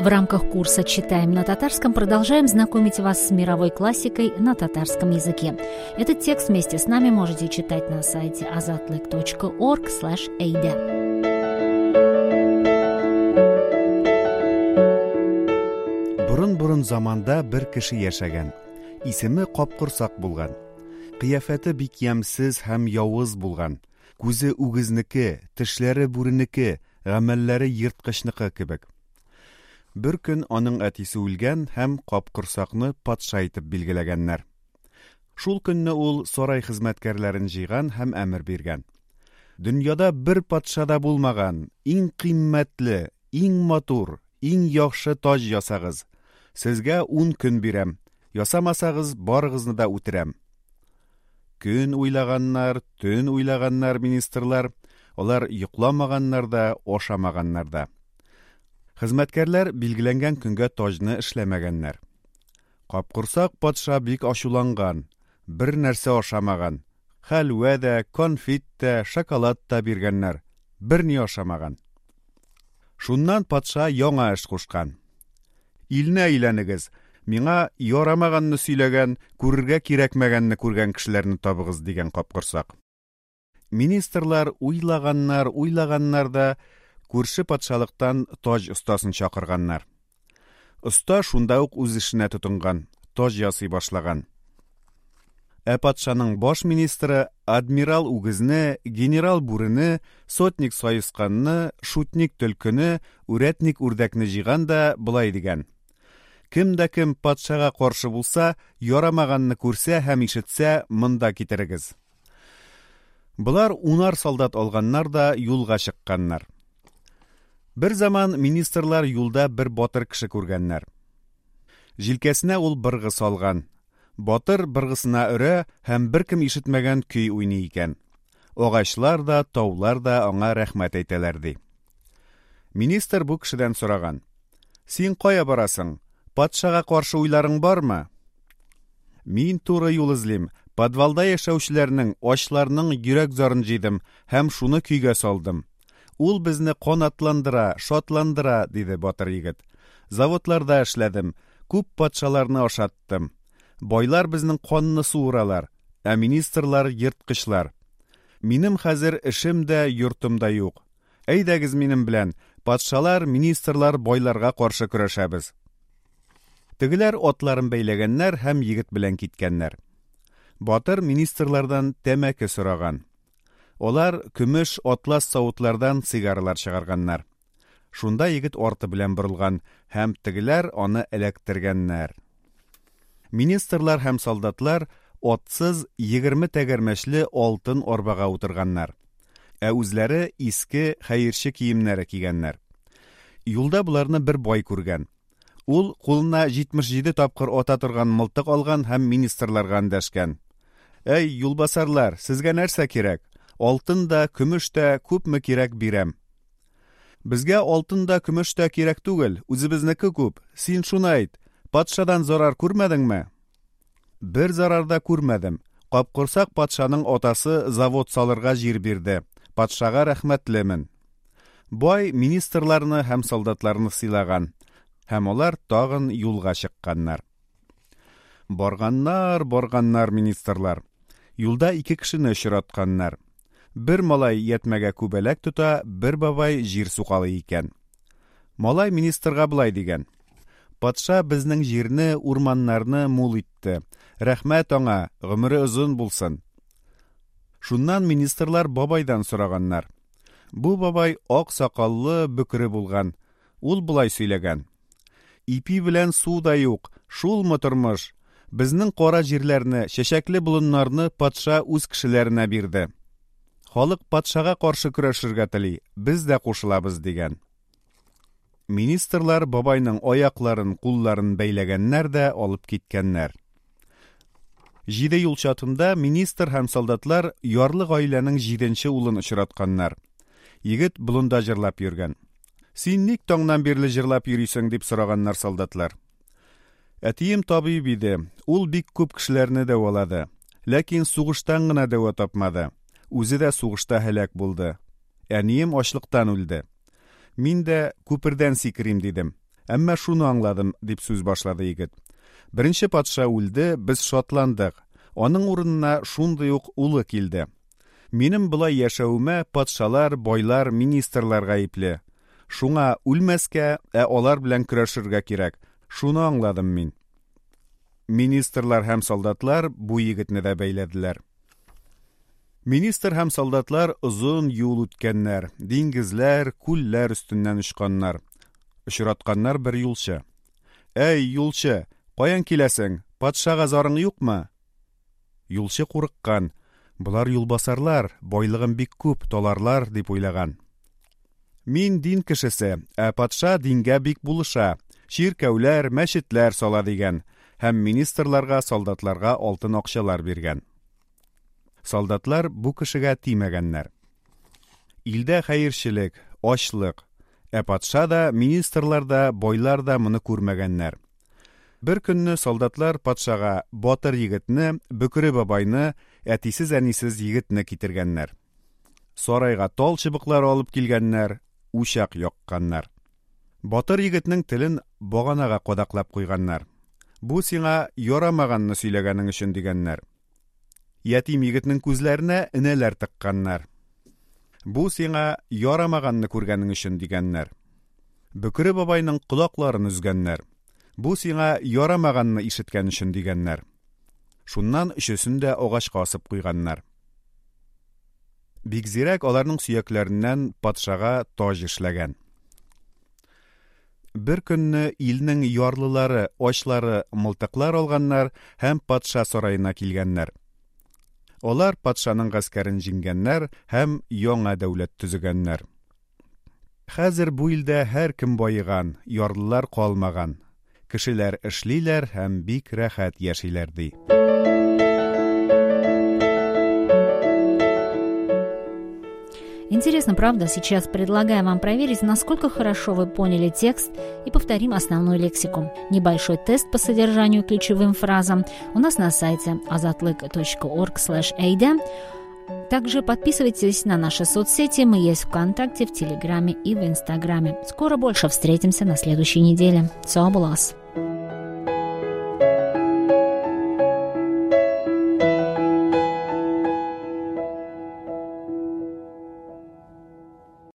В рамках курса «Читаем на татарском» продолжаем знакомить вас с мировой классикой на татарском языке. Этот текст вместе с нами можете читать на сайте azatlyk.org/eide. Борын-борын заманда бер кеше яшәгән. Исеме Капкорсак булган. Кыяфәте бик ямьсез һәм явыз булган. Күзе үгезнеке, тешләре бүренеке, гамәлләре ерткычныкы кебек. Бер көн аның әтисе үлгән һәм Капкорсакны патша итеп билгеләгәннәр. Шул көнне ул сарай хезмәткәрләрен җыйган һәм әмер биргән. Дөньяда бер патша да булмаган, иң кыйммәтле, иң матур, иң яхшы таҗ ясагыз. Сезгә ун көн бирәм. Ясамасагыз, барыгызны да үтерәм. Көн уйлаганнар, төн уйлаганнар министрлар. Алар йокламаганнар да, ашамаганнар да. Хезмәткәрләр билгеләнгән көнгә таҗны эшләмәгәннәр. Капкорсак патша бик ачуланган, бер нәрсә ашамаган. Хәлвә дә, конфет тә, шоколад та биргәннәр, берни ашамаган. Шуннан патша яңа эш кушкан. Илне әйләнегез, миңа ярамаганны сөйләгән, күрергә кирәкмәгәнне күргән кешеләрне табыгыз, дигән Капкорсак. Министрлар уйлаганнар, уйлаганнар да, күрше патшалыктан таҗ остасын чакырганнар. Оста шунда ук үз эшенә тотынган, таҗ ясый башлаган. Ә патшаның баш министры адмирал үгезне, генерал бүрене, сотник саесканны, шутник төлкене, үрәтник үрдәкне җыйган да болай дигән. Кем дә кем патшага каршы булса, ярамаганны күрсә һәм ишетсә, монда китерегез. Болар унар солдат алганнар да юлга чыкканнар. Бер заман министрлар юлда бер батыр кеше күргәннәр. Җилкәсенә ул быргы салган. Батыр быргысына өрә һәм беркем ишетмәгән көй уйный икән. Агачлар да, таулар да аңа рәхмәт әйтәләр, ди. Министр бу кешедән сораган. Син кая барасың? Патшага каршы уйларың бармы? Мин туры юл эзлим. Подвалда яшәүчеләрнең, ачларның йөрәк зарын җыйдым һәм шуны көйгә салдым. Ул безне канатландыра, шатландыра, диде батыр егет. Заводларда эшләдем, күп патшаларны ашаттым. Байлар безнең канны суыралар, ә министрлар ерткычлар. Минем хәзер эшем дә, йортым да юк. Әйдәгез минем белән, патшалар, министрлар, байларга каршы көрәшәбез. Тегеләр атларын бәйләгәннәр һәм егет белән киткәннәр. Батыр министрлардан тәмәке сораган. Алар көмеш атлас савытлардан сигаралар чыгарганнар. Шунда егет арты белән борылган һәм тегеләр аны эләктергәннәр. Министрлар һәм солдатлар атсыз 20 тәгәрмәчле алтын арбага утырганнар. Ә үзләре иске хәерче киемнәре кигәннәр. Юлда боларны бер бай күргән. Ул кулына 77 тапкыр ата торган мылтык алган һәм министрларга эндәшкән. Әй, юлбасарлар, сезгә нәрсә кирәк? Алтын да, көмеш тә, күпме кирәк бирәм. Безгә алтын да, көмеш тә кирәк түгел, үзебезнеке күп. Син шуны әйт, патшадан зарар күрмәдеңме? Бер зарар да күрмәдем. Капкорсак патшаның атасы завод салырга җир бирде. Патшага рәхмәтлемен. Бай министрларны һәм солдатларны сыйлаган, һәм алар тагын юлга чыкканнар. Барганнар, барганнар министрлар. Юлда ике кешене очратканнар. Бер малай ятмәгә күбәләк тота, бер бабай җир сукалый икән. Малай министрга болай дигән. Патша безнең җирне, урманнарны мул итте. Рәхмәт аңа, гомере озын булсын. Шуннан министрлар бабайдан сораганнар. Бу бабай ак сакаллы, бөкре булган. Ул болай сөйләгән. Ипи белән су да юк, шулмы тормыш? Безнең кара җирләрне, чәчәкле болыннарны патша үз кешеләренә бирде. Халык патшага каршы көрәшергә тели, без дә кушылабыз, дигән. Министрлар бабайның аякларын, кулларын бәйләгәннәр дә алып киткәннәр. Җиде юл чатында министр һәм солдатлар ярлы гаиләнең җиденче улын очратканнар. Егет болында җырлап йөргән. Син ник таңнан бирле җырлап йөрисең, дип сораганнар солдатлар. Әтием табиб иде. Ул бик күп кешеләрне дәвалады. Ләкин сугыштан гына дәва тапмады. Үзе дә сугышта һәлак булды. Әнием ачлыктан үлде. Мин дә күпердән сикерим дидем. Әмма шуны аңладым, дип сүз башлады егет. Беренче патша үлде, без шатландык. Аның урынына шундый ук улы килде. Минем болай яшәвемә патшалар, байлар, министрлар гаепле. Шуңа үлмәскә, ә алар белән көрәшергә кирәк. Шуны аңладым мин. Министрлар һәм солдатлар бу егетне дә бәйләделәр. Министр һәм солдатлар озын юл үткәннәр, диңгезләр, күлләр өстеннән очканнар. Очратканнар бер юлчы. Әй, юлчы, каян киләсең? Патшага зарың юкмы? Юлчы курыккан. Болар юлбасарлар, байлыгым бик күп, таларлар, дип уйлаган. Мин дин кешесе, ә патша дингә бик булыша. Чиркәүләр, мәчетләр сала дигән һәм министрларга, солдатларга алтын акчалар биргән. Солдатлар бу кешегә тимәгәннәр. Илдә хәерчелек, ачлык. Ә патша да, министрлар да, байлар да моны күрмәгәннәр. Бер көнне солдатлар патшага батыр егетне, Бөкре бабайны, әтисез-әнисез егетне китергәннәр. Сарайга тал чыбыклары алып килгәннәр, учак якканнар. Батыр егетнең телен баганага кадаклап куйганнар. Бу сиңа ярамаганны сөйләгәнең өчен дигәннәр. Ятим егетнең күзләренә энәләр тыкканнар. Бу сиңа ярамаганны күргәнең өчен дигәннәр. Бөкре бабайның колакларын өзгәннәр. Бу сиңа ярамаганны ишеткән өчен дигәннәр. Шуннан өчесен дә агачка асып куйганнар. Бикзирәк аларның сөякләреннән патшага таҗ эшләгән. Бер көнне илнең ярлылары, ачлары мылтыклар алганнар һәм патша сараена килгәннәр. Алар патшаның гаскәрен җиңгәннәр һәм яңа дәүләт төзегәннәр. Хәзер бу илдә һәркем баеган, ярлылар калмаган. Кешеләр эшлиләр һәм бик рәхәт яшиләр, ди. Интересно, правда? Сейчас предлагаем вам проверить, насколько хорошо вы поняли текст, и повторим основную лексику. Небольшой тест по содержанию ключевым фразам у нас на сайте azatlyk.org/eyde. Также подписывайтесь на наши соцсети. Мы есть ВКонтакте, в Телеграме и в Инстаграме. Скоро больше встретимся на следующей неделе. Сау булыгыз!